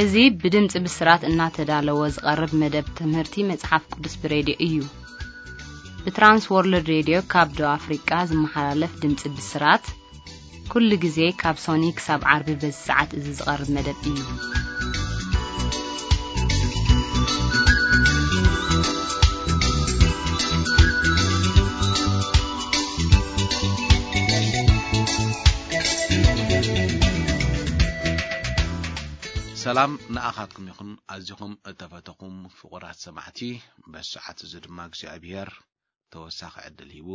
እዚ ብድምፂ ብስራት እናተዳለወ ዝቐርብ መደብ ትምህርቲ መጽሓፍ ቅዱስ ብሬድዮ እዩ። ብትራንስ ወርልድ ሬድዮ ካብ ደቡብ ኣፍሪቃ ዝመሓላለፍ ድምፂ ብስራት፣ ኩሉ ግዜ ካብ ሶኒ ክሳብ ዓርቢ በዚ ሰዓት እዚ ዝቐርብ መደብ እዩ። ሰላም ንኣኻትኩም ይኹን፣ ኣዚኹም እተፈተኹም ፍቑራት ሰማዕቲ። በዚ ሰዓት እዚ ድማ እግዚኣብሔር ተወሳኺ ዕድል ሂቡ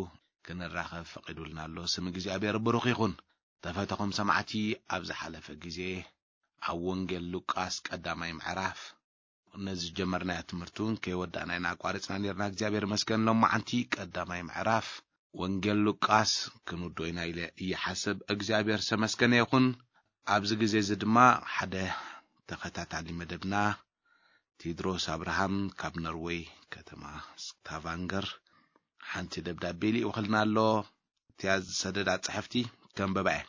ክንራኸብ ፈቒዱልና ኣሎ። ስም እግዚኣብሔር ብሩኽ ይኹን። ተፈተኹም ሰማዕቲ፣ ኣብ ዝሓለፈ ግዜ ኣብ ወንጌል ሉቃስ ቀዳማይ ምዕራፍ ነዚ ዝጀመርናዮ ትምህርቲ እውን ከይወዳእና ኢና ኣቋሪጽና ነርና። እግዚኣብሔር ይመስገን። ሎማዓንቲ ቀዳማይ ምዕራፍ ወንጌል ሉቃስ ክንውድኦ ኢና ኢለ ይሓስብ። እግዚኣብሔር ዝተመስገነ ይኹን። ኣብዚ ግዜ እዚ ድማ ሓደ ተኸታታሊ መደብና ቴድሮስ ኣብርሃም ካብ ኖርወይ ከተማ ስታቫንገር ሓንቲ ደብዳቤ ልኢኹልና ኣሎ። እቲኣ ዝሰደዳ ጽሕፍቲ ከንበባ እየ።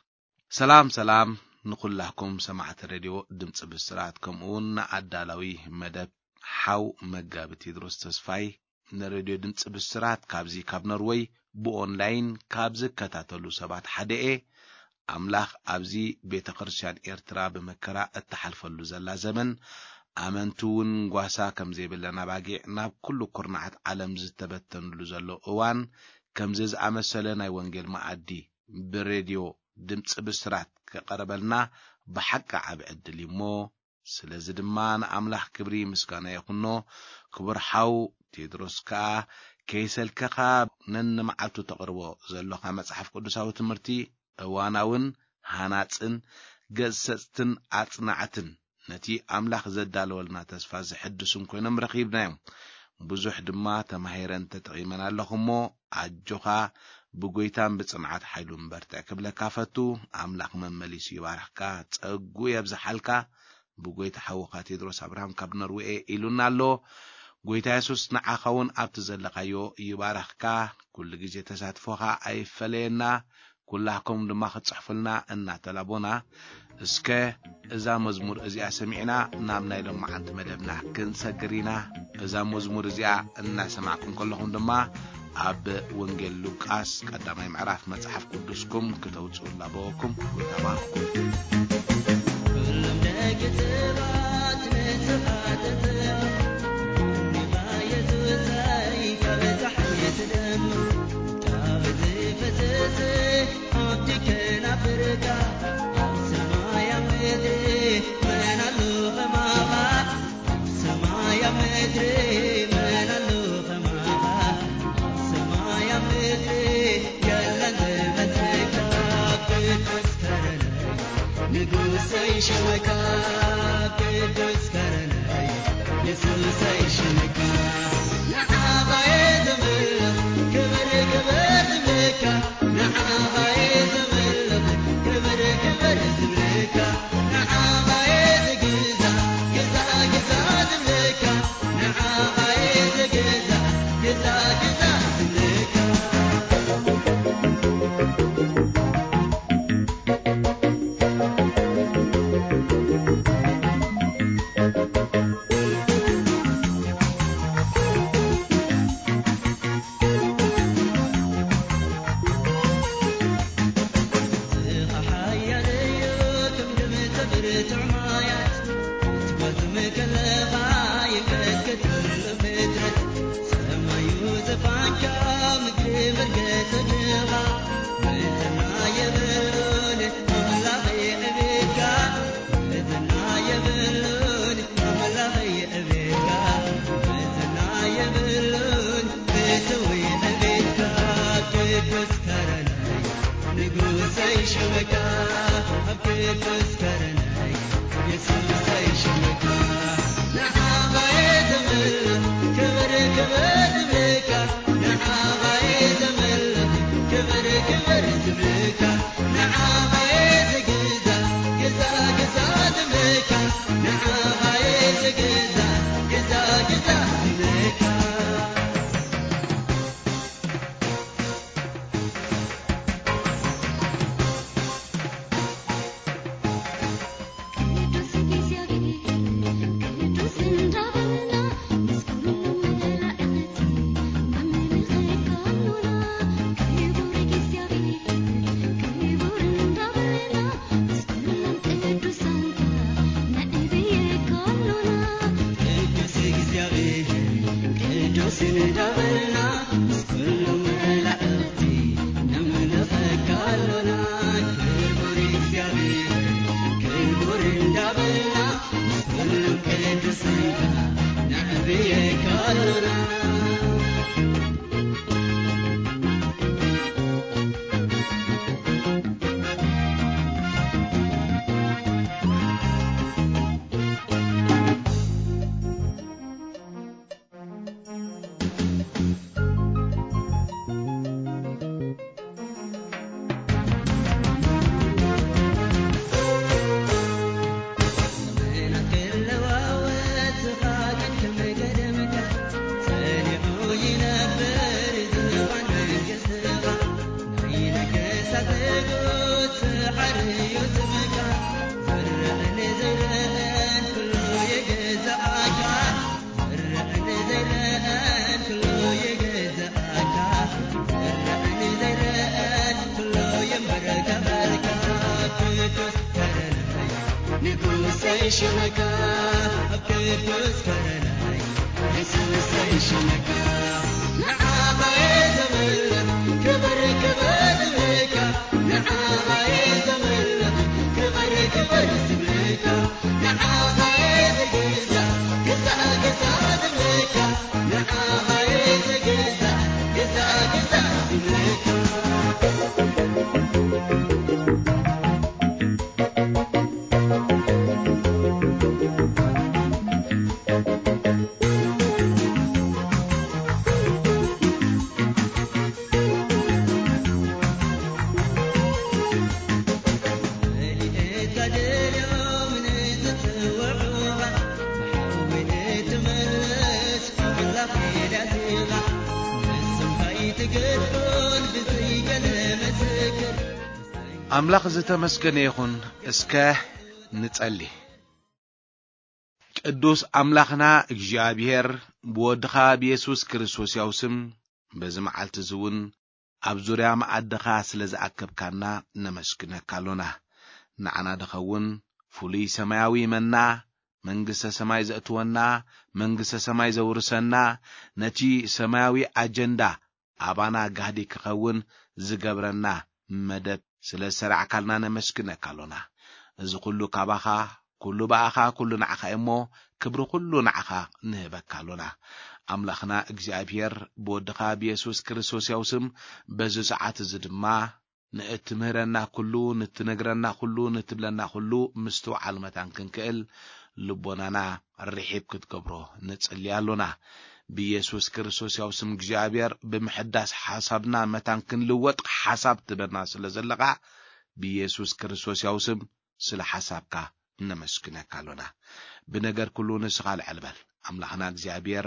ሰላም ሰላም ንኹላኩም ሰማዕቲ ሬድዮ ድምፂ ብስራት፣ ከምኡ እውን ንኣዳላዊ መደብ ሓው መጋቢ ቴድሮስ ተስፋይ፣ ንሬድዮ ድምፂ ብስራት ካብዚ ካብ ኖርወይ ብኦንላይን ካብ ዝከታተሉ ሰባት ሓደ እየ። ኣምላኽ ኣብዚ ቤተ ክርስቲያን ኤርትራ ብመከራ እትሓልፈሉ ዘላ ዘመን፣ ኣመንቲ እውን ጓሳ ከም ዘይብለን ኣባጊዕ ናብ ኩሉ ኩርናዓት ዓለም ዝተበተንሉ ዘሎ እዋን፣ ከምዚ ዝኣመሰለ ናይ ወንጌል መኣዲ ብሬድዮ ድምፂ ብስራት ክቐርበልና ብሓቂ ዓቢ ዕድል እዩ እሞ፣ ስለዚ ድማ ንኣምላኽ ክብሪ ምስጋና ይኹኖ። ክቡር ሓው ቴድሮስ ከኣ ከይሰልከኻ ነንመዓልቱ ተቕርቦ ዘሎኻ መጽሓፍ ቅዱሳዊ ትምህርቲ እዋናውን ሃናጽን ገሰጽትን ኣጽናዕትን ነቲ ኣምላኽ ዘዳለወልና ተስፋ ዘሕድሱን ኮይኖም ረኺብናዮም። ብዙሕ ድማ ተማሂረን ተጠቒመን ኣለኹ እሞ፣ ኣጆኻ ብጎይታን ብጽንዓት ሓይሉን በርትዕ ክብለካ ፈቱ። ኣምላኽ መመሊሱ ይባርኽካ፣ ጸጉ የብዝሓልካ። ብጎይታ ሓውኻ ቴድሮስ ኣብርሃም ካብ ኖርዌ ኢሉና ኣሎ። ጎይታ የሱስ ንዓኻ እውን ኣብቲ ዘለኻዮ ይባርኽካ። ኩሉ ግዜ ተሳትፎኻ ኣይፈለየና። ኩላኩም ድማ ክትጽሕፉልና እናተላቦና፣ እስከ እዛ መዝሙር እዚኣ ሰሚዕና ናብ ናይ ሎማዓንቲ መደብና ክንሰግር ኢና። እዛ መዝሙር እዚኣ እናሰማዕኩም ከለኹም ድማ ኣብ ወንጌል ሉቃስ ቀዳማይ ምዕራፍ መጽሓፍ ቅዱስኩም ክተውጽኡ እናበወኩም። ተባረኹ። ኩሎም ደቂ ሰባት ንስኻ ተተው፣ ንባ የሱሰይ ካብ ጸሓይ ትደምቕ፣ ካብ ዝፈሰሰ ሃብቲ ከናፍርካ፣ ኣብ ሰማይ ኣብ ምድሪ መን ኣሎ ከማኻ? ኣብ ሰማይ ኣብ ምድሪ መን ኣሎ ከማኻ? ኣብ ሰማይ ኣብ ምድሪ የለን ዝመስለካ። ቅዱስ ከረነይ ንጉሰይ ሽመካ፣ ቅዱስ ከረነይ የሱሰይ ሽመካ። ንዓኻ እየ ዘምልኽ ክብር ክብር ዝብለካ፣ ንዓኻ እየ ዘምልኽ ክብር ክብር ዝብለካ። ንዓኻ እየ ዝግዛእ ግዛእ ግዛእ ዝብለካ፣ ንዓኻ እየ ዝግዛእ ግዛእ ግዛእ ዝብለካ። ክቡር እግዚኣብሔር ክቡር እንዳበልና፣ ምስ ኩሎም ቅዱሳንካ ነዕብየካ ኣሎና። ኣምላኽ ዝተመስገነ ይኹን። እስከ ንጸሊ። ቅዱስ ኣምላኽና እግዚኣብሔር፣ ብወድኻ ብየሱስ ክርስቶስ ያው ስም በዚ መዓልቲ እዚ እውን ኣብ ዙርያ መኣድኻ ስለ ዝኣከብካና ነመስግነካ ኣሎና። ንዓና ድኸውን ፍሉይ ሰማያዊ መና፣ መንግስተ ሰማይ ዘእትወና፣ መንግስተ ሰማይ ዘውርሰና፣ ነቲ ሰማያዊ ኣጀንዳ ኣባና ጋህዲ ክኸውን ዝገብረና መደብ ስለ ዝሰራዕካልና ነመስግነካ ኣሎና። እዚ ኩሉ ካባኻ፣ ኩሉ ብኣኻ፣ ኩሉ ንዓኻ እሞ፣ ክብሪ ኩሉ ንዓኻ ንህበካ ኣሎና። ኣምላኽና እግዚኣብሔር፣ ብወድኻ ብየሱስ ክርስቶስ ያው ስም፣ በዚ ሰዓት እዚ ድማ ንእትምህረና ኩሉ፣ ንትነግረና ኩሉ፣ ንትብለና ኩሉ ምስትውዓል መታን ክንክእል ልቦናና ርሒብ ክትገብሮ ንጽሊ ኣሎና። ብየሱስ ክርስቶስ ያው ስም እግዚኣብሔር ብምሕዳስ ሓሳብና መታን ክንልወጥ ሓሳብ ትበና ስለ ዘለኻ ብየሱስ ክርስቶስ ያው ስም ስለ ሓሳብካ ነመስግነካ ኣሎና። ብነገር ኩሉ ንስኻ ልዕል በል። ኣምላኽና እግዚኣብሔር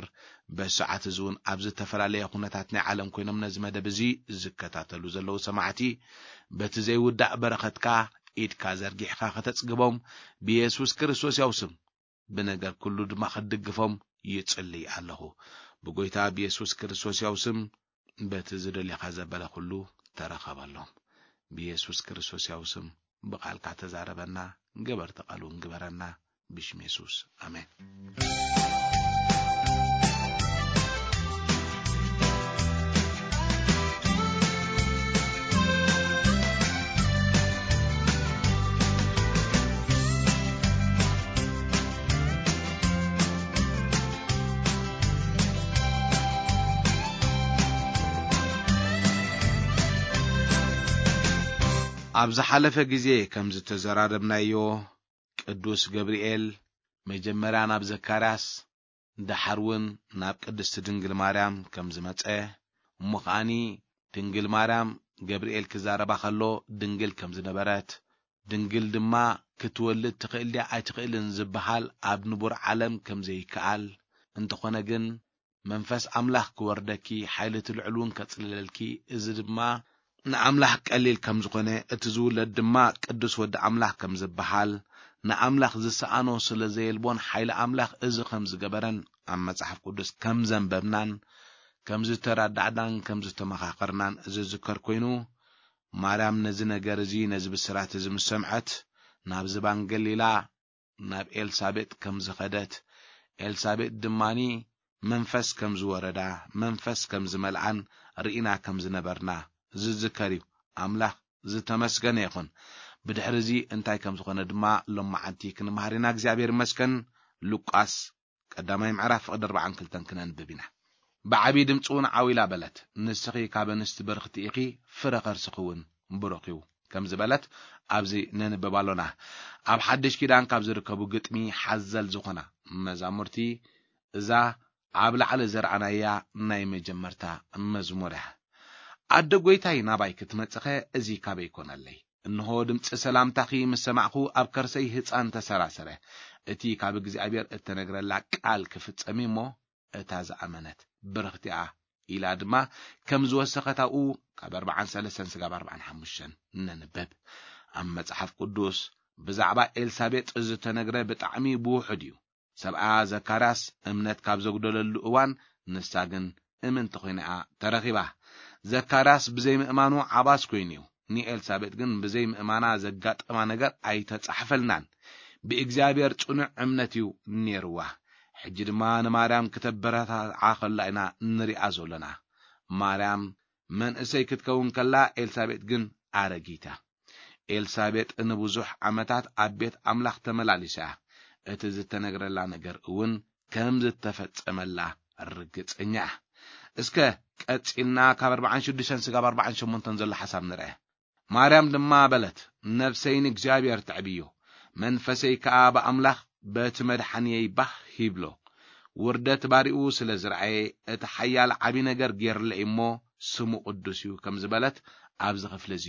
በዚ ሰዓት እዚ እውን ኣብ ዝተፈላለየ ኩነታት ናይ ዓለም ኮይኖም ነዚ መደብ እዚ ዝከታተሉ ዘለዉ ሰማዕቲ በቲ ዘይውዳእ በረኸትካ ኢድካ ዘርጊሕካ ከተጽግቦም ብየሱስ ክርስቶስ ያው ስም ብነገር ኩሉ ድማ ክትድግፎም ይጽልይ ኣለኹ። ብጎይታ ብየሱስ ክርስቶስ ያው ስም በቲ ዝደልየኻ ዘበለ ኩሉ ተረኸበሎም። ብየሱስ ክርስቶስ ያው ስም ብቓልካ ተዛረበና፣ ገበርቲ ቃል እውን ግበረና። ብሽም የሱስ ኣሜን። ኣብ ዝሓለፈ ግዜ ከም ዝተዘራረብናዮ፣ ቅዱስ ገብርኤል መጀመርያ ናብ ዘካርያስ፣ ደሓር እውን ናብ ቅድስቲ ድንግል ማርያም ከም ዝመጸ፣ እሞ ከኣኒ ድንግል ማርያም ገብርኤል ክዛረባ ከሎ ድንግል ከም ዝነበረት፣ ድንግል ድማ ክትወልድ ትኽእል ድያ ኣይትኽእልን ዝበሃል ኣብ ንቡር ዓለም ከም ዘይከኣል፣ እንተኾነ ግን መንፈስ ኣምላኽ ክወርደኪ፣ ሓይሊ እቲ ልዑል እውን ከጽልለልኪ፣ እዚ ድማ ንኣምላኽ ቀሊል ከም ዝኾነ፣ እቲ ዝውለድ ድማ ቅዱስ ወዲ ኣምላኽ ከም ዝበሃል፣ ንኣምላኽ ዝሰኣኖ ስለ ዘየልቦን ሓይሊ ኣምላኽ እዚ ከም ዝገበረን ኣብ መጽሓፍ ቅዱስ ከም ዘንበብናን ከም ዝተረዳዕናን ከም ዝተመኻኸርናን ዝዝከር ኮይኑ፣ ማርያም ነዚ ነገር እዚ፣ ነዚ ብስራት እዚ ምስ ሰምዐት፣ ናብ ዝባን ገሊላ ናብ ኤልሳቤጥ ከም ዝኸደት፣ ኤልሳቤጥ ድማኒ መንፈስ ከም ዝወረዳ፣ መንፈስ ከም ዝመልኣን ርኢና ከም ዝነበርና ዝዝከር እዩ። ኣምላኽ ዝተመስገነ ይኹን። ብድሕሪ እዚ እንታይ ከም ዝኾነ ድማ ሎማዓንቲ ክንመሃር ኢና። እግዚኣብሔር ይመስገን። ሉቃስ ቀዳማይ ምዕራፍ ፍቕዲ ኣርባዓን ክልተን ክነንብብ ኢና። ብዓብዪ ድምፂ እውን ዓው ኢላ በለት፣ "ንስኺ ካብ ኣንስቲ ብርኽቲ ኢኺ፣ ፍረ ከርስኺ እውን ብሩኽ እዩ" ከም ዝበለት ኣብዚ ነንብብ ኣሎና። ኣብ ሓድሽ ኪዳን ካብ ዝርከቡ ግጥሚ ሓዘል ዝኾና መዛሙርቲ እዛ ኣብ ላዕሊ ዘርኣናያ ናይ መጀመርታ መዝሙር እያ። "ኣደ ጐይታይ ናባይ ክትመጽኸ እዚ ካበይ ኮነለይ? እንሆ ድምጺ ሰላምታኺ ምስ ሰማዕኹ ኣብ ከርሰይ ህጻን ተሰራሰረ። እቲ ካብ እግዚኣብሔር እተነግረላ ቃል ክፍጸም እዩ እሞ እታ ዝኣመነት ብርኽቲ እያ" ኢላ ድማ ከም ዝወሰኸት ኣብኡ ካብ ኣርባዓን ሰለስተን ስጋብ ኣርባዓን ሓሙሽተን ነንብብ። ኣብ መጽሓፍ ቅዱስ ብዛዕባ ኤልሳቤጥ ዝተነግረ ብጣዕሚ ብውሑድ እዩ። ሰብኣ ዘካርያስ እምነት ካብ ዘጉደለሉ እዋን ንሳ ግን እምንቲ ኮይና እያ ተረኺባ። ዘካርያስ ብዘይምእማኑ ዓባስ ኮይኑ እዩ። ንኤልሳቤጥ ግን ብዘይምእማና ዘጋጠማ ነገር ኣይተጻሕፈልናን። ብእግዚኣብሔር ጽኑዕ እምነት እዩ ነይርዋ። ሕጂ ድማ ንማርያም ክተበረታትዓ ከላ ኢና ንሪኣ ዘሎና። ማርያም መንእሰይ ክትከውን ከላ፣ ኤልሳቤጥ ግን ኣረጊት እያ። ኤልሳቤጥ ንብዙሕ ዓመታት ኣብ ቤት ኣምላኽ ተመላሊሳ እያ። እቲ ዝተነግረላ ነገር እውን ከም ዝተፈጸመላ ርግጸኛ እያ። እስከ ቀጺልና ካብ ኣርባዓን ሽዱሽተን ስጋብ ኣርባዓን ሸሞንተን ዘሎ ሓሳብ ንርአ። ማርያም ድማ በለት፣ "ነፍሰይ ንእግዚኣብሔር ተዕብዮ፣ መንፈሰይ ከኣ ብኣምላኽ በቲ መድሓንየይ ባህ ይብሎ። ውርደት ባሪኡ ስለ ዝረኣየ፣ እቲ ሓያል ዓቢ ነገር ጌርለይ እሞ፣ ስሙ ቅዱስ እዩ" ከም ዝበለት ኣብዚ ክፍሊ እዚ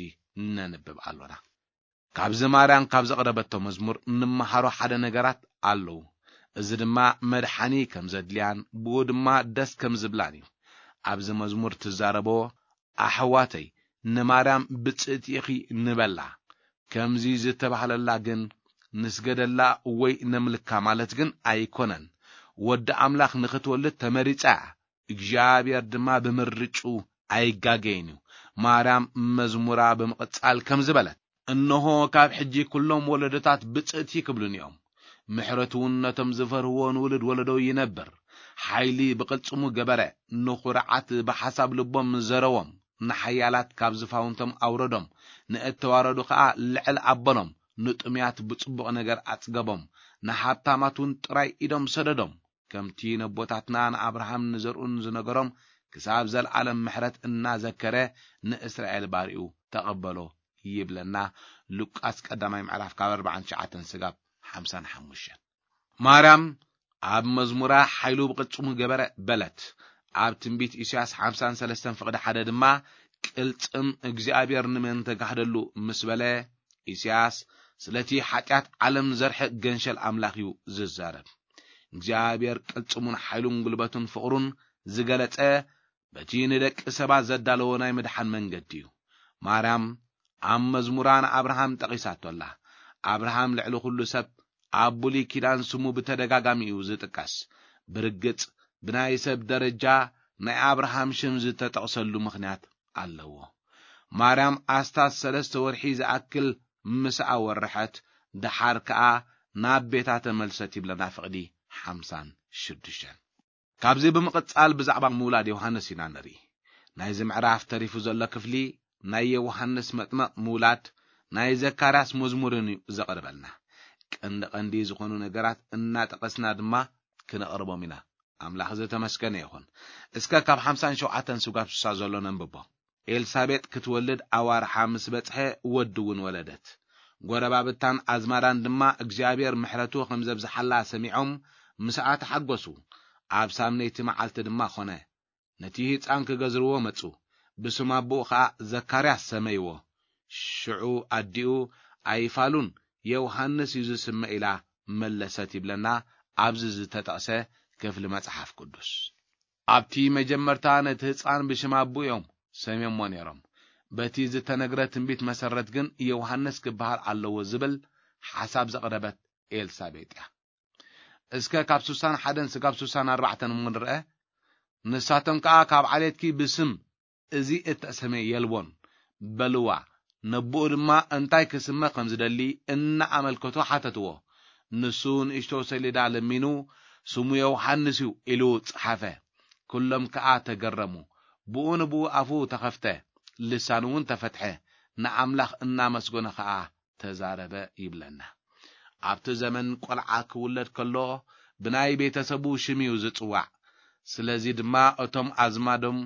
ነንብብ ኣሎና። ካብዚ ማርያም ካብ ዘቕረበቶ መዝሙር እንመሃሮ ሓደ ነገራት ኣለዉ። እዚ ድማ መድሓኒ ከም ዘድልያን ብኡ ድማ ደስ ከም ዝብላን እዩ። ኣብዚ መዝሙር ትዛረቦ፣ "ኣሕዋተይ ንማርያም ብጽእቲ ኢኺ" ንበላ። ከምዚ ዝተባህለላ ግን ንስገደላ ወይ ነምልካ ማለት ግን ኣይኮነን። ወዲ ኣምላኽ ንኽትወልድ ተመሪጻ እያ። እግዚኣብሔር ድማ ብምርጩ ኣይጋገይን እዩ። ማርያም መዝሙራ ብምቕጻል ከምዚ በለት፣ "እንሆ ካብ ሕጂ ኩሎም ወለዶታት ብጽእቲ ክብሉኒ እዮም። ምሕረቱ እውን ነቶም ዝፈርህዎ ንውሉድ ወለዶ ይነብር። ሓይሊ ብቕልጽሙ ገበረ፣ ንኹርዓት ብሓሳብ ልቦም ዘረዎም፣ ንሓያላት ካብ ዝፋውንቶም ኣውረዶም፣ ንእተዋረዱ ኸኣ ልዕል ኣበሎም፣ ንጥሙያት ብጽቡቕ ነገር ኣጽገቦም፣ ንሃብታማት እውን ጥራይ ኢዶም ሰደዶም። ከምቲ ነቦታትና ንኣብርሃም ንዘርኡን ዝነገሮም፣ ክሳብ ዘለኣለም ምሕረት እናዘከረ ንእስራኤል ባሪኡ ተቐበሎ" ይብለና ሉቃስ ቀዳማይ ምዕራፍ ካብ ኣርባዓን ትሽዓተን ስጋብ ሓምሳን ሓሙሽተን። ማርያም ኣብ መዝሙራ "ሓይሉ ብቕልጽሙ ገበረ" በለት። ኣብ ትንቢት ኢሳያስ ሓምሳን ሰለስተን ፍቕዲ ሓደ ድማ፣ "ቅልጽም እግዚኣብሔር ንመን ተጋህደሉ" ምስ በለ፣ ኢሳያስ ስለቲ ሓጢኣት ዓለም ዘርሕቕ ገንሸል ኣምላኽ እዩ ዝዛረብ። እግዚኣብሔር ቅልጽሙን ሓይሉን ጉልበቱን ፍቕሩን ዝገለጸ በቲ ንደቂ ሰባት ዘዳለዎ ናይ ምድሓን መንገዲ እዩ። ማርያም ኣብ መዝሙራ ንኣብርሃም ጠቒሳቶ ኣላ። ኣብርሃም ልዕሊ ኩሉ ሰብ ኣብ ብሉይ ኪዳን ስሙ ብተደጋጋሚ እዩ ዝጥቀስ። ብርግጽ ብናይ ሰብ ደረጃ ናይ ኣብርሃም ሽም ዝተጠቕሰሉ ምኽንያት ኣለዎ። ማርያም ኣስታት ሰለስተ ወርሒ ዝኣክል ምስኣ ወርሐት፣ ደሓር ከኣ ናብ ቤታ ተመልሰት ይብለና ፍቕዲ ሓምሳን ሽዱሽተን። ካብዚ ብምቕጻል ብዛዕባ ምውላድ ዮሃንስ ኢና ንርኢ። ናይዚ ምዕራፍ ተሪፉ ዘሎ ክፍሊ ናይ ዮሃንስ መጥመቕ ምውላድ፣ ናይ ዘካርያስ መዝሙርን እዩ ዘቕርበልና። ቀንዲ ቀንዲ ዝኾኑ ነገራት እናጠቐስና ድማ ክነቕርቦም ኢና። ኣምላኽ ዝተመስገነ ይኹን። እስከ ካብ ሓምሳን ሸውዓተን ስጋብ ስሳ ዘሎ ነንብቦ። ኤልሳቤጥ ክትወልድ ኣዋርሓ ምስ በጽሐ፣ ወዲ እውን ወለደት። ጎረባብታን ኣዝማዳን ድማ እግዚኣብሔር ምሕረቱ ከም ዘብዝሓላ ሰሚዖም፣ ምስኣ ተሓጎሱ። ኣብ ሳምነይቲ መዓልቲ ድማ ኾነ፣ ነቲ ህጻን ክገዝርዎ መጹ። ብስም ኣቦኡ ኸኣ ዘካርያስ ሰመይዎ። ሽዑ ኣዲኡ፣ "ኣይፋሉን፣ ዮሃንስ እዩ ዝስመ" ኢላ መለሰት ይብለና ኣብዚ ዝተጠቕሰ ክፍሊ መጽሓፍ ቅዱስ። ኣብቲ መጀመርታ ነቲ ህጻን ብሽም ኣቦኡ እዮም ሰምዮሞ ነይሮም። በቲ ዝተነግረ ትንቢት መሰረት ግን ዮሃንስ ክበሃል ኣለዎ ዝብል ሓሳብ ዘቕረበት ኤልሳቤጥ እያ። እስከ ካብ ስሳን ሓደን ስጋብ ስሳን ኣርባዕተን እሞ ንርአ። ንሳቶም ከኣ፣ "ካብ ዓሌትኪ ብስም እዚ እተሰመየ የልቦን" በልዋ። ነቦኡ ድማ እንታይ ክስመ ከም ዝደሊ እናኣመልከቱ ሓተትዎ። ንሱ ንእሽቶ ሰሌዳ ለሚኑ፣ "ስሙ ዮሃንስ እዩ" ኢሉ ጸሓፈ። ኩሎም ከኣ ተገረሙ። ብኡ ንብኡ ኣፉ ተኸፍተ፣ ልሳኑ እውን ተፈትሐ። ንኣምላኽ እናመስገነ ኸኣ ተዛረበ ይብለና። ኣብቲ ዘመን ቆልዓ ክውለድ ከሎ ብናይ ቤተሰቡ ሽም እዩ ዝጽዋዕ። ስለዚ ድማ እቶም ኣዝማዶም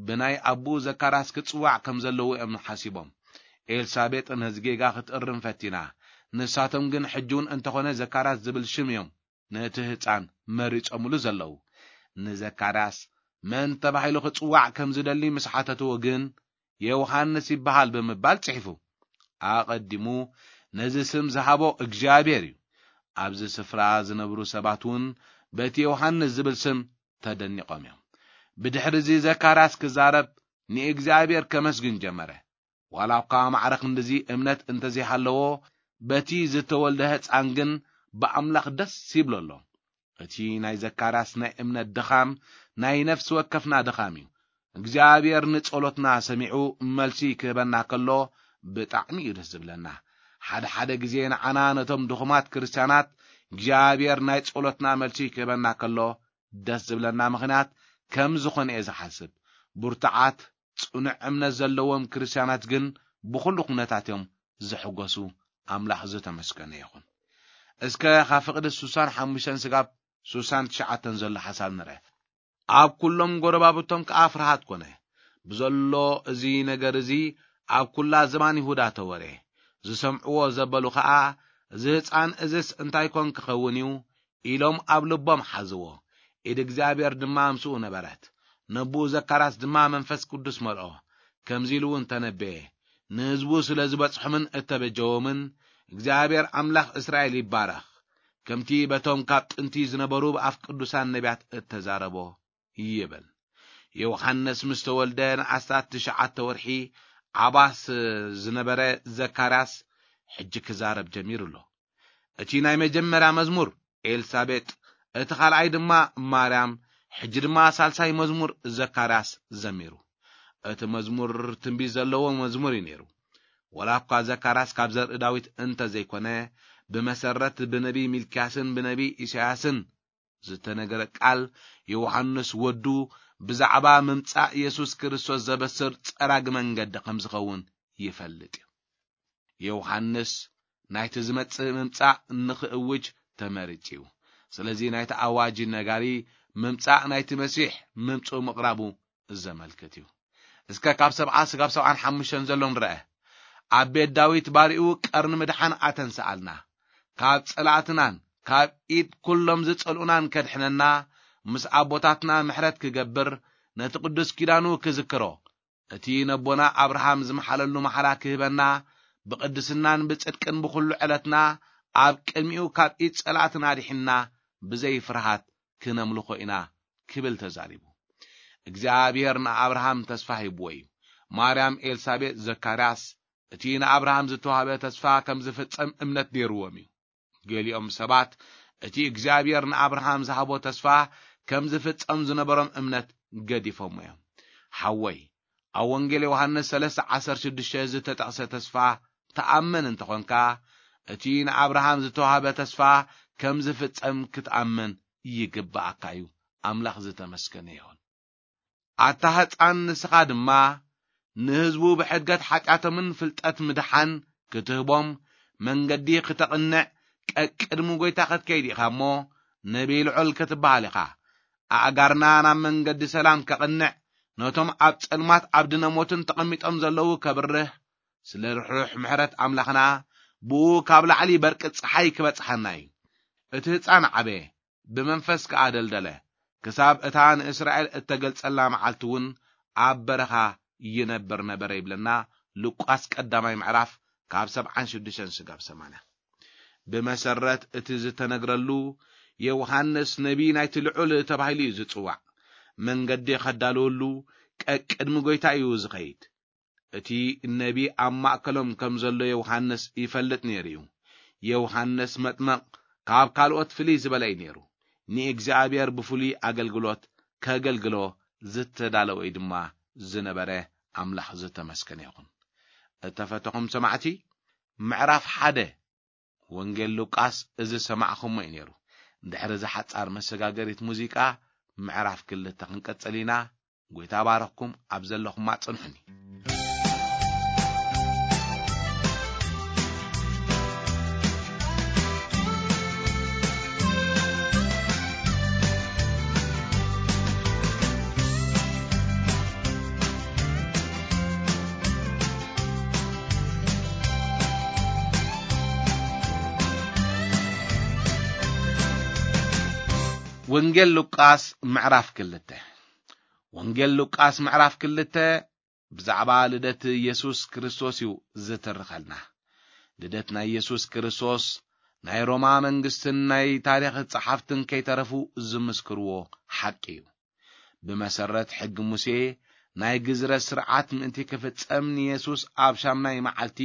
ብናይ ኣቦኡ ዘካርያስ ክጽዋዕ ከም ዘለዎ እዮም ሓሲቦም። ኤልሳቤጥ ነዚ ጌጋ ክትእርም ፈቲና። ንሳቶም ግን ሕጂ እውን እንተኾነ ዘካርያስ ዝብል ሽም እዮም ነቲ ህጻን መሪጾምሉ ዘለዉ። ንዘካርያስ መን ተባሂሉ ክጽዋዕ ከም ዝደሊ ምስ ሓተትዎ ግን ዮሃንስ ይበሃል ብምባል ጽሒፉ። ኣቐዲሙ ነዚ ስም ዝሃቦ እግዚኣብሔር እዩ። ኣብዚ ስፍራ ዝነብሩ ሰባት እውን በቲ ዮሃንስ ዝብል ስም ተደኒቖም እዮም። ብድሕሪ እዚ ዘካርያስ ክዛረብ ንእግዚኣብሔር ከመስግን ጀመረ። ዋላ እኳ ማዕረ ክንድዚ እምነት እንተዘይሃለዎ፣ በቲ ዝተወልደ ህፃን ግን ብኣምላኽ ደስ ይብሎ ኣሎ። እቲ ናይ ዘካርያስ ናይ እምነት ድኻም ናይ ነፍሲ ወከፍና ድኻም እዩ። እግዚኣብሔር ንጸሎትና ሰሚዑ መልሲ ክህበና ከሎ ብጣዕሚ እዩ ደስ ዝብለና። ሓደ ሓደ ግዜ ንዓና ነቶም ድኹማት ክርስትያናት እግዚኣብሔር ናይ ጸሎትና መልሲ ክህበና ከሎ ደስ ዝብለና ምኽንያት ከም ዝኾነ እየ ዝሓስብ። ብርቱዓት ጽኑዕ እምነት ዘለዎም ክርስትያናት ግን ብኹሉ ኩነታት እዮም ዝሕጎሱ። ኣምላኽ ዝተመስገነ ይኹን። እስከ ካብ ፍቕዲ ሱሳን ሓሙሽተን ስጋብ ሱሳን ትሽዓተን ዘሎ ሓሳብ ንርአ። ኣብ ኩሎም ጎረባብቶም ከኣ ፍርሃት ኮነ። ብዘሎ እዚ ነገር እዚ ኣብ ኩላ ዝባን ይሁዳ ተወረ። ዝሰምዕዎ ዘበሉ ኸኣ፣ "እዚ ህፃን እዝስ እንታይ ኮን ክኸውን እዩ?" ኢሎም ኣብ ልቦም ሓዝዎ። ኢድ እግዚኣብሔር ድማ ምስኡ ነበረት። ነብኡ ዘካርያስ ድማ መንፈስ ቅዱስ መልኦ። ከምዚ ኢሉ እውን ተነበየ፣ "ንህዝቡ ስለ ዝበጽሖምን እተበጀዎምን፣ እግዚኣብሔር ኣምላኽ እስራኤል ይባረኽ። ከምቲ በቶም ካብ ጥንቲ ዝነበሩ ብኣፍ ቅዱሳን ነቢያት እተዛረቦ" ይብል። ዮሃንስ ምስ ተወልደ ንኣስታት ትሽዓተ ወርሒ ዓባስ ዝነበረ ዘካርያስ ሕጂ ክዛረብ ጀሚሩ ኣሎ። እቲ ናይ መጀመርያ መዝሙር ኤልሳቤጥ፣ እቲ ካልኣይ ድማ ማርያም፣ ሕጂ ድማ ሳልሳይ መዝሙር ዘካርያስ ዘሚሩ። እቲ መዝሙር ትንቢት ዘለዎ መዝሙር እዩ ነይሩ። ወላ እኳ ዘካርያስ ካብ ዘርኢ ዳዊት እንተ ዘይኮነ፣ ብመሰረት ብነቢ ሚልክያስን ብነቢ ኢሳያስን ዝተነገረ ቃል፣ ዮሃንስ ወዱ ብዛዕባ ምምጻእ የሱስ ክርስቶስ ዘበስር ጸራጊ መንገዲ ከም ዝኸውን ይፈልጥ እዩ። ዮሃንስ ናይቲ ዝመጽእ ምምጻእ ንኽእውጅ ተመሪጹ እዩ። ስለዚ ናይቲ ኣዋጅ ነጋሪ ምምጻእ ናይቲ መሲሕ ምምጽኡ ምቕራቡ ዘመልክት እዩ። እስከ ካብ ሰብዓ ስጋብ ሰብዓን ሓሙሽተን ዘሎ ንርአ። ኣብ ቤት ዳዊት ባሪኡ ቀርኒ ምድሓን ኣተንስኣልና። ካብ ጸላእትናን ካብ ኢድ ኩሎም ዝጸልኡናን ከድሕነና፣ ምስ ኣቦታትና ምሕረት ክገብር፣ ነቲ ቅዱስ ኪዳኑ ክዝክሮ፣ እቲ ነቦና ኣብርሃም ዝመሓለሉ መሓላ ክህበና፣ ብቅድስናን ብጽድቅን ብኹሉ ዕለትና ኣብ ቅድሚኡ ካብ ኢድ ጸላእትና ኣድሒንና ብዘይ ፍርሃት ክነምልኾ ኢና ክብል ተዛሪቡ። እግዚኣብሔር ንኣብርሃም ተስፋ ሂብዎ እዩ። ማርያም፣ ኤልሳቤጥ፣ ዘካርያስ እቲ ንኣብርሃም ዝተዋህበ ተስፋ ከም ዝፍጸም እምነት ነይርዎም እዩ። ገሊኦም ሰባት እቲ እግዚኣብሔር ንኣብርሃም ዝሃቦ ተስፋ ከም ዝፍጸም ዝነበሮም እምነት ገዲፎምዎ እዮም። ሓወይ፣ ኣብ ወንጌል ዮሃንስ ሰለስተ ዓሰርተ ሽዱሽተ ዝተጠቕሰ ተስፋ ተኣምን እንተኾንካ፣ እቲ ንኣብርሃም ዝተዋህበ ተስፋ ከም ዝፍጸም ክትኣምን ይግብኣካ እዩ። ኣምላኽ ዝተመስገነ ይኹን። ኣታ ህፃን፣ ንስኻ ድማ ንህዝቡ ብሕድገት ሓጢኣቶምን ፍልጠት ምድሓን ክትህቦም መንገዲ ክተቕንዕ ቀቅድሚ ጎይታ ክትከይድ ኢኻ እሞ፣ ነቢይ ልዑል ክትበሃል ኢኻ። ኣእጋርና ናብ መንገዲ ሰላም ከቕንዕ፣ ነቶም ኣብ ጸልማት ኣብ ድነ ሞትን ተቐሚጦም ዘለዉ ከብርህ፣ ስለ ርሑሕ ምሕረት ኣምላኽና ብኡ ካብ ላዕሊ በርቂ ጸሓይ ክበጽሓና እዩ። እቲ ህፃን ዓበየ፣ ብመንፈስ ከኣ ደልደለ፣ ክሳብ እታ ንእስራኤል እተገልጸላ መዓልቲ እውን ኣብ በረኻ ይነብር ነበረ ይብለና ሉቃስ ቀዳማይ ምዕራፍ ካብ ሰብዓን ሽዱሽተን ስጋብ ሰማንያ። ብመሰረት እቲ ዝተነግረሉ፣ ዮሃንስ ነቢ ናይቲ ልዑል ተባሂሉ እዩ ዝጽዋዕ። መንገዲ ከዳልወሉ ቀቅድሚ ጎይታ እዩ ዝኸይድ። እቲ ነቢ ኣብ ማእከሎም ከም ዘሎ ዮሃንስ ይፈልጥ ነይሩ እዩ። ዮሃንስ መጥመቕ ካብ ካልኦት ፍልይ ዝበለ እዩ ነይሩ። ንእግዚኣብሔር ብፍሉይ ኣገልግሎት ከገልግሎ ዝተዳለወ እዩ ድማ ዝነበረ። ኣምላኽ ዝተመስገነ ይኹን። እተፈተኹም ሰማዕቲ፣ ምዕራፍ ሓደ ወንጌል ሉቃስ እዚ ሰማዕኹሞ እዩ ነይሩ። ድሕሪ እዚ ሓጻር መሰጋገሪት ሙዚቃ፣ ምዕራፍ ክልተ ክንቀጽል ኢና። ጎይታ ባረኽኩም፣ ኣብ ዘለኹማ ጽንሑኒ። ወንጌል ሉቃስ ምዕራፍ ክልተ። ወንጌል ሉቃስ ምዕራፍ ክልተ ብዛዕባ ልደት ኢየሱስ ክርስቶስ እዩ ዝትርኸልና። ልደት ናይ ኢየሱስ ክርስቶስ ናይ ሮማ መንግስትን ናይ ታሪኽ ጸሓፍትን ከይተረፉ ዝምስክርዎ ሓቂ እዩ። ብመሰረት ሕጊ ሙሴ ናይ ግዝረት ስርዓት ምእንቲ ክፍጸም ንየሱስ ኣብ ሻምናይ መዓልቲ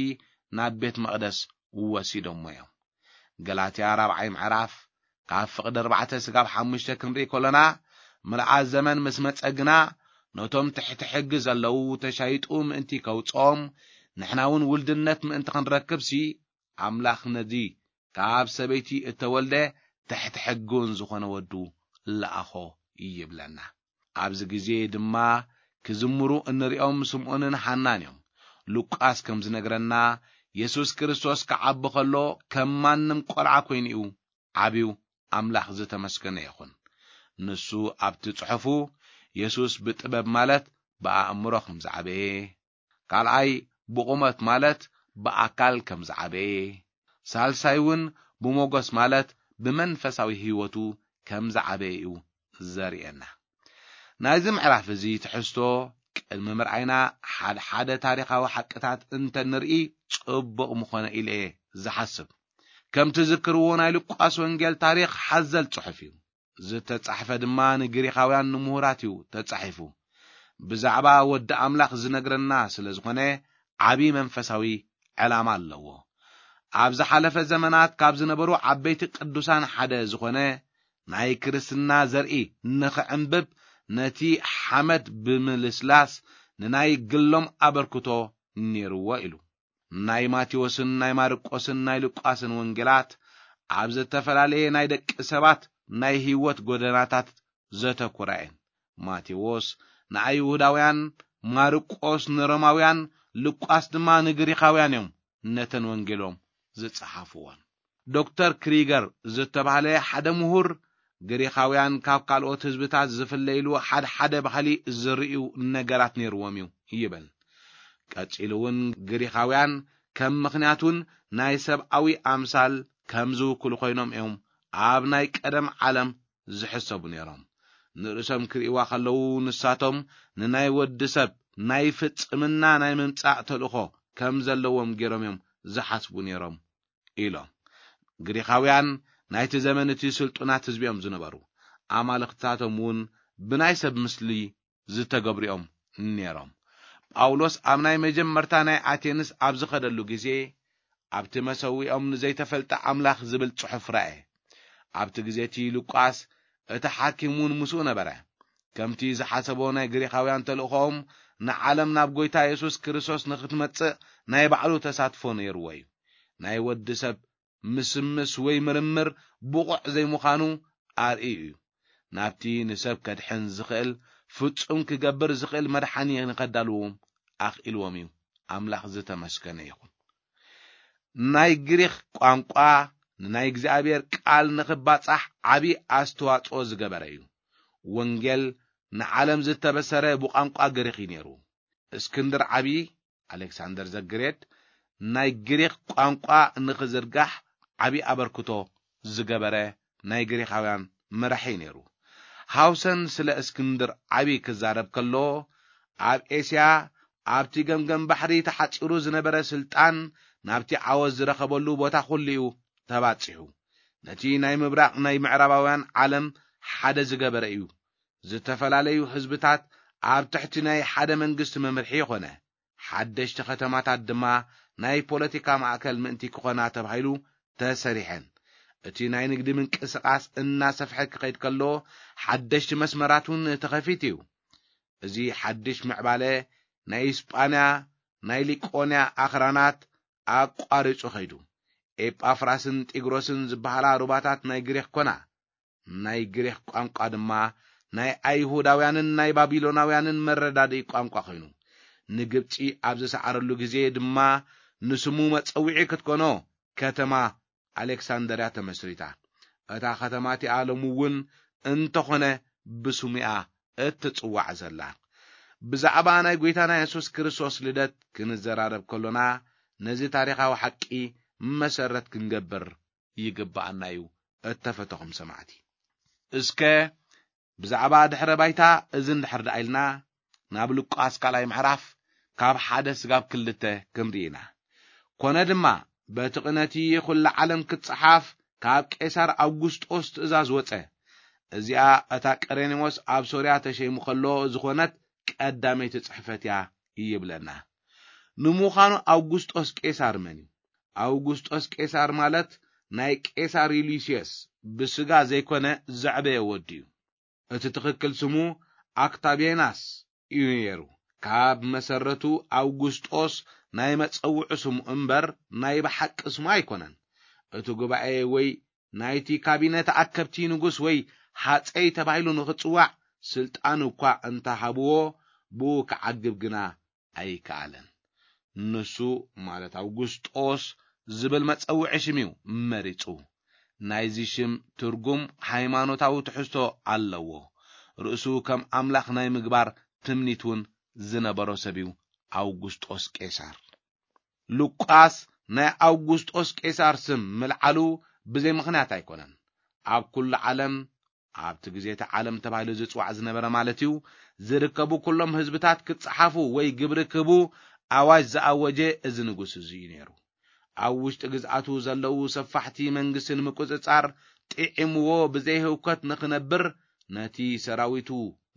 ናብ ቤት መቕደስ ወሲዶሞ እዮም። ገላትያ ራብዓይ ምዕራፍ ካብ ፍቕዲ ኣርባዕተ ስጋብ ሓሙሽተ ክንርኢ ከሎና፣ ምልኣት ዘመን ምስ መጸ ግና ነቶም ትሕቲ ሕጊ ዘለዉ ተሻይጡ ምእንቲ ከውጽኦም፣ ንሕና እውን ውልድነት ምእንቲ ክንረክብሲ ኣምላኽ ነዚ ካብ ሰበይቲ እተወልደ ትሕቲ ሕጊ እውን ዝኾነ ወዱ ለኣኾ ይብለና። ኣብዚ ግዜ ድማ ክዝምሩ እንሪኦም ስምዖንን ሓናን እዮም። ሉቃስ ከም ዝነግረና፣ የሱስ ክርስቶስ ክዓቢ ከሎ ከም ማንም ቆልዓ ኮይኑ እዩ ዓብዩ። ኣምላኽ ዝተመስገነ ይኹን። ንሱ ኣብቲ ጽሑፉ፣ የሱስ ብጥበብ ማለት ብኣእምሮ ከም ዝዓበየ፣ ካልኣይ ብቑመት ማለት ብኣካል ከም ዝዓበየ፣ ሳልሳይ እውን ብሞገስ ማለት ብመንፈሳዊ ህይወቱ ከም ዝዓበየ እዩ ዘርእየና። ናይዚ ምዕራፍ እዚ ትሕዝቶ ቅድሚ ምርኣይና፣ ሓደ ሓደ ታሪኻዊ ሓቅታት እንተ ንርኢ ጽቡቕ ምኾነ ኢለ እየ ዝሓስብ። ከም ትዝክርዎ፣ ናይ ሉቃስ ወንጌል ታሪኽ ሓዘል ጽሑፍ እዩ። ዝተጻሕፈ ድማ ንግሪኻውያን ንምሁራት እዩ ተጻሒፉ። ብዛዕባ ወዲ ኣምላኽ ዝነግረና ስለ ዝኾነ፣ ዓቢ መንፈሳዊ ዕላማ ኣለዎ። ኣብ ዝሓለፈ ዘመናት ካብ ዝነበሩ ዓበይቲ ቅዱሳን ሓደ ዝኾነ፣ ናይ ክርስትና ዘርኢ ንኽዕንብብ፣ ነቲ ሓመድ ብምልስላስ ንናይ ግሎም ኣበርክቶ ነይርዎ ኢሉ። ናይ ማቴዎስን ናይ ማርቆስን ናይ ሉቃስን ወንጌላት ኣብ ዝተፈላለየ ናይ ደቂ ሰባት ናይ ህይወት ጎደናታት ዘተኩራ እየን። ማቴዎስ ንኣይሁዳውያን፣ ማርቆስ ንሮማውያን፣ ሉቃስ ድማ ንግሪኻውያን እዮም ነተን ወንጌሎም ዝጸሓፍወን። ዶክተር ክሪገር ዝተባህለ ሓደ ምሁር፣ ግሪኻውያን ካብ ካልኦት ህዝብታት ዝፍለይሉ ሓደ ሓደ ባህሊ ዝርእዩ ነገራት ነይርዎም እዩ ይብል። ቀጺሉ እውን፣ ግሪኻውያን ከም ምኽንያት እውን ናይ ሰብኣዊ ኣምሳል ከም ዝውክሉ ኮይኖም እዮም ኣብ ናይ ቀደም ዓለም ዝሕሰቡ ነይሮም። ንርእሶም ክርእይዋ ከለዉ፣ ንሳቶም ንናይ ወዲ ሰብ ናይ ፍጽምና ናይ ምምጻእ ተልእኾ ከም ዘለዎም ገይሮም እዮም ዝሓስቡ ነይሮም ኢሎም። ግሪኻውያን ናይቲ ዘመን እቲ ስልጡናት ህዝቢ እዮም ዝነበሩ። ኣማልኽትታቶም እውን ብናይ ሰብ ምስሊ ዝተገብሩ እዮም ነይሮም። ጳውሎስ ኣብ ናይ መጀመርታ ናይ ኣቴንስ ኣብ ዝኸደሉ ግዜ፣ ኣብቲ መሰዊኦም ንዘይተፈልጠ ኣምላኽ ዝብል ጽሑፍ ረኣየ። ኣብቲ ግዜ እቲ ሉቃስ እቲ ሓኪም እውን ምስኡ ነበረ። ከምቲ ዝሓሰቦ፣ ናይ ግሪኻውያን ተልእኾኦም ንዓለም ናብ ጐይታ የሱስ ክርስቶስ ንኽትመጽእ ናይ ባዕሉ ተሳትፎ ነይርዎ እዩ። ናይ ወዲ ሰብ ምስምስ ወይ ምርምር ብቑዕ ዘይምዃኑ ኣርእዩ እዩ። ናብቲ ንሰብ ከድሕን ዝኽእል፣ ፍጹም ክገብር ዝኽእል መድሓኒ ንኸዳልዎም ኣኽኢልዎም እዩ። ኣምላኽ ዝተመስገነ ይኹን። ናይ ግሪኽ ቋንቋ ንናይ እግዚኣብሔር ቃል ንኽባጻሕ ዓቢ ኣስተዋጽኦ ዝገበረ እዩ። ወንጌል ንዓለም ዝተበሰረ ብቋንቋ ግሪኽ እዩ ነይሩ። እስክንድር ዓቢ፣ ኣሌክሳንደር ዘግሬት፣ ናይ ግሪኽ ቋንቋ ንኽዝርጋሕ ዓቢ ኣበርክቶ ዝገበረ ናይ ግሪኻውያን መራሒ ነይሩ። ሃውሰን ስለ እስክንድር ዓቢ ክዛረብ ከሎ፣ ኣብ ኤስያ ኣብቲ ገምገም ባሕሪ ተሓጺሩ ዝነበረ ስልጣን ናብቲ ዓወት ዝረኸበሉ ቦታ ኩሉ እዩ ተባጺሑ። ነቲ ናይ ምብራቕ ናይ ምዕራባውያን ዓለም ሓደ ዝገበረ እዩ። ዝተፈላለዩ ህዝብታት ኣብ ትሕቲ ናይ ሓደ መንግስቲ መምርሒ ይኾነ። ሓደሽቲ ከተማታት ድማ ናይ ፖለቲካ ማእከል ምእንቲ ክኾና ተባሂሉ ተሰሪሐን። እቲ ናይ ንግዲ ምንቅስቓስ እናሰፍሐ ክኸይድ ከሎ፣ ሓደሽቲ መስመራት እውን ተኸፊቱ እዩ። እዚ ሓድሽ ምዕባለ ናይ ኢስጳንያ ናይ ሊቆንያ ኣኽራናት ኣቋሪጹ ኸይዱ። ኤጳፍራስን ጢግሮስን ዝበሃላ ሩባታት ናይ ግሪኽ ኮና። ናይ ግሪኽ ቋንቋ ድማ ናይ ኣይሁዳውያንን ናይ ባቢሎናውያንን መረዳድኢ ቋንቋ ኾይኑ። ንግብጺ ኣብ ዝሰዓረሉ ግዜ ድማ ንስሙ መጸውዒ ክትኮኖ ከተማ ኣሌክሳንደርያ ተመስሪታ። እታ ከተማ እቲኣ ሎሚ እውን እንተኾነ ብስሙ እያ እትጽዋዕ ዘላ። ብዛዕባ ናይ ጐይታና የሱስ ክርስቶስ ልደት ክንዘራረብ ከሎና፣ ነዚ ታሪኻዊ ሓቂ መሰረት ክንገብር ይግብኣና እዩ። እተፈተኹም ሰማዕቲ፣ እስከ ብዛዕባ ድሕረ ባይታ እዚ እንድሕር ደኣ ኢልና፣ ናብ ሉቃስ ካልኣይ ምዕራፍ ካብ ሓደ ስጋብ ክልተ ክንርኢ ኢና። ኮነ ድማ፣ በቲ ቅነቲ ኩላ ዓለም ክትጸሓፍ ካብ ቄሳር ኣውጉስጦስ ትእዛዝ ወጸ። እዚኣ እታ ቀሬኔዎስ ኣብ ሶርያ ተሸይሙ ከሎ ዝኾነት ቀዳመይቲ ጽሕፈት እያ ይብለና። ንምዃኑ ኣውጉስጦስ ቄሳር መን እዩ? ኣውጉስጦስ ቄሳር ማለት ናይ ቄሳር ዩልዩስዮስ ብስጋ ዘይኮነ ዘዕበየ ወዲ እዩ። እቲ ትኽክል ስሙ ኣክታቬናስ እዩ ነይሩ። ካብ መሰረቱ ኣውጉስጦስ ናይ መጸውዒ ስሙ እምበር ናይ ብሓቂ ስሙ ኣይኮነን። እቲ ጉባኤ ወይ ናይቲ ካቢነ ተኣከብቲ ንጉስ ወይ ሃጸይ ተባሂሉ ንኽጽዋዕ ስልጣን እኳ እንተሃብዎ፣ ብኡ ክዓግብ ግና ኣይከኣለን። ንሱ፣ ማለት ኣውጉስጦስ ዝብል መጸውዒ ሽም እዩ መሪጹ። ናይዚ ሽም ትርጉም ሃይማኖታዊ ትሕዝቶ ኣለዎ። ርእሱ ከም ኣምላኽ ናይ ምግባር ትምኒት እውን ዝነበሮ ሰብ እዩ ኣውጉስጦስ ቄሳር። ሉቃስ ናይ ኣውጉስጦስ ቄሳር ስም ምልዓሉ ብዘይ ምኽንያት ኣይኮነን። ኣብ ኩሉ ዓለም፣ ኣብቲ ግዜ እቲ ዓለም ተባሂሉ ዝጽዋዕ ዝነበረ ማለት እዩ፣ ዝርከቡ ኩሎም ህዝብታት ክጸሓፉ ወይ ግብሪ ክህቡ ኣዋጅ ዝኣወጀ እዚ ንጉስ እዚ እዩ ነይሩ። ኣብ ውሽጢ ግዝኣቱ ዘለዉ ሰፋሕቲ መንግስቲ ንምቁጽጻር ጥዒምዎ ብዘይ ህውከት ንኽነብር ነቲ ሰራዊቱ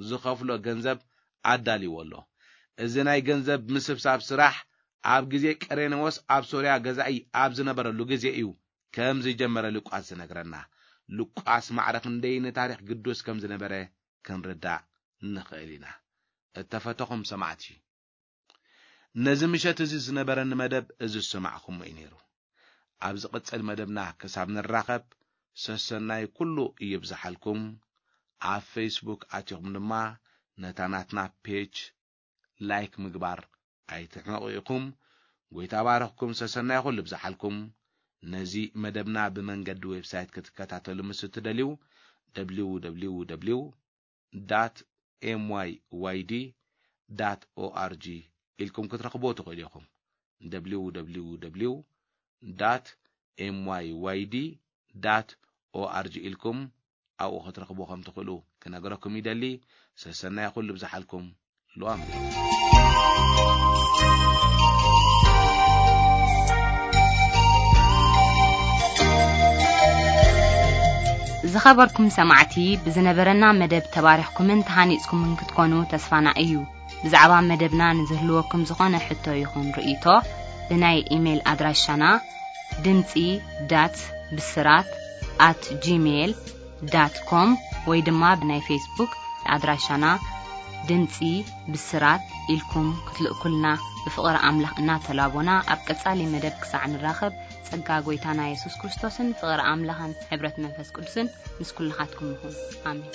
ዝኸፍሎ ገንዘብ ኣዳልይዎ ኣሎ። እዚ ናይ ገንዘብ ምስብሳብ ስራሕ ኣብ ግዜ ቀሬኔዎስ ኣብ ሶርያ ገዛኢ ኣብ ዝነበረሉ ግዜ እዩ ከም ዝጀመረ ሉቃስ ዝነግረና። ሉቃስ ማዕረ ክንደይ ንታሪኽ ግዱስ ከም ዝነበረ ክንርዳእ ንኽእል ኢና። እተፈተኹም ሰማዕቲ፣ ነዚ ምሸት እዚ ዝነበረኒ መደብ እዚ ዝሰማዕኹሞ እዩ ነይሩ። ኣብ ዝቕጽል መደብና ክሳብ ንራኸብ፣ ሰሰናይ ኩሉ ይብዝሓልኩም። ኣብ ፌስቡክ ኣቲኹም ድማ ነታ ናትና ፔጅ ላይክ ምግባር ኣይትሕመቑ ኢኹም። ጎይታ ባረኽኩም፣ ሰሰናይ ኩሉ ይብዝሓልኩም። ነዚ መደብና ብመንገዲ ዌብሳይት ክትከታተሉ ምስ እትደልዩ፣ www dot myyd dot org ኢልኩም ክትረኽብዎ ትኽእሉ ኢኹም። www dot myyd dot org ኢልኩም ኣብኡ ክትረኽብዎ ከም ትኽእሉ ክነግረኩም ይደሊ። ሰሰናይ ኩሉ ይብዝሓልኩም። ሉኣም። ዝኸበርኩም ሰማዕቲ፣ ብዝነበረና መደብ ተባሪኽኩምን ተሃኒጽኩምን ክትኮኑ ተስፋና እዩ። ብዛዕባ መደብና ንዝህልወኩም ዝኾነ ሕቶ ይኹን ርእይቶ፣ ብናይ ኢሜይል ኣድራሻና ድምጺ ዳት ብስራት ኣት ጂሜይል ዳት ኮም ወይ ድማ ብናይ ፌስቡክ ኣድራሻና ድምጺ ብስራት ኢልኩም ክትልእኩልና ብፍቕሪ ኣምላኽ እናተላቦና፣ ኣብ ቀጻሊ መደብ ክሳዕ ንራኸብ፣ ጸጋ ጎይታና የሱስ ክርስቶስን ፍቕሪ ኣምላኽን ሕብረት መንፈስ ቅዱስን ምስ ኩልኻትኩም ይኹን። ኣሜን።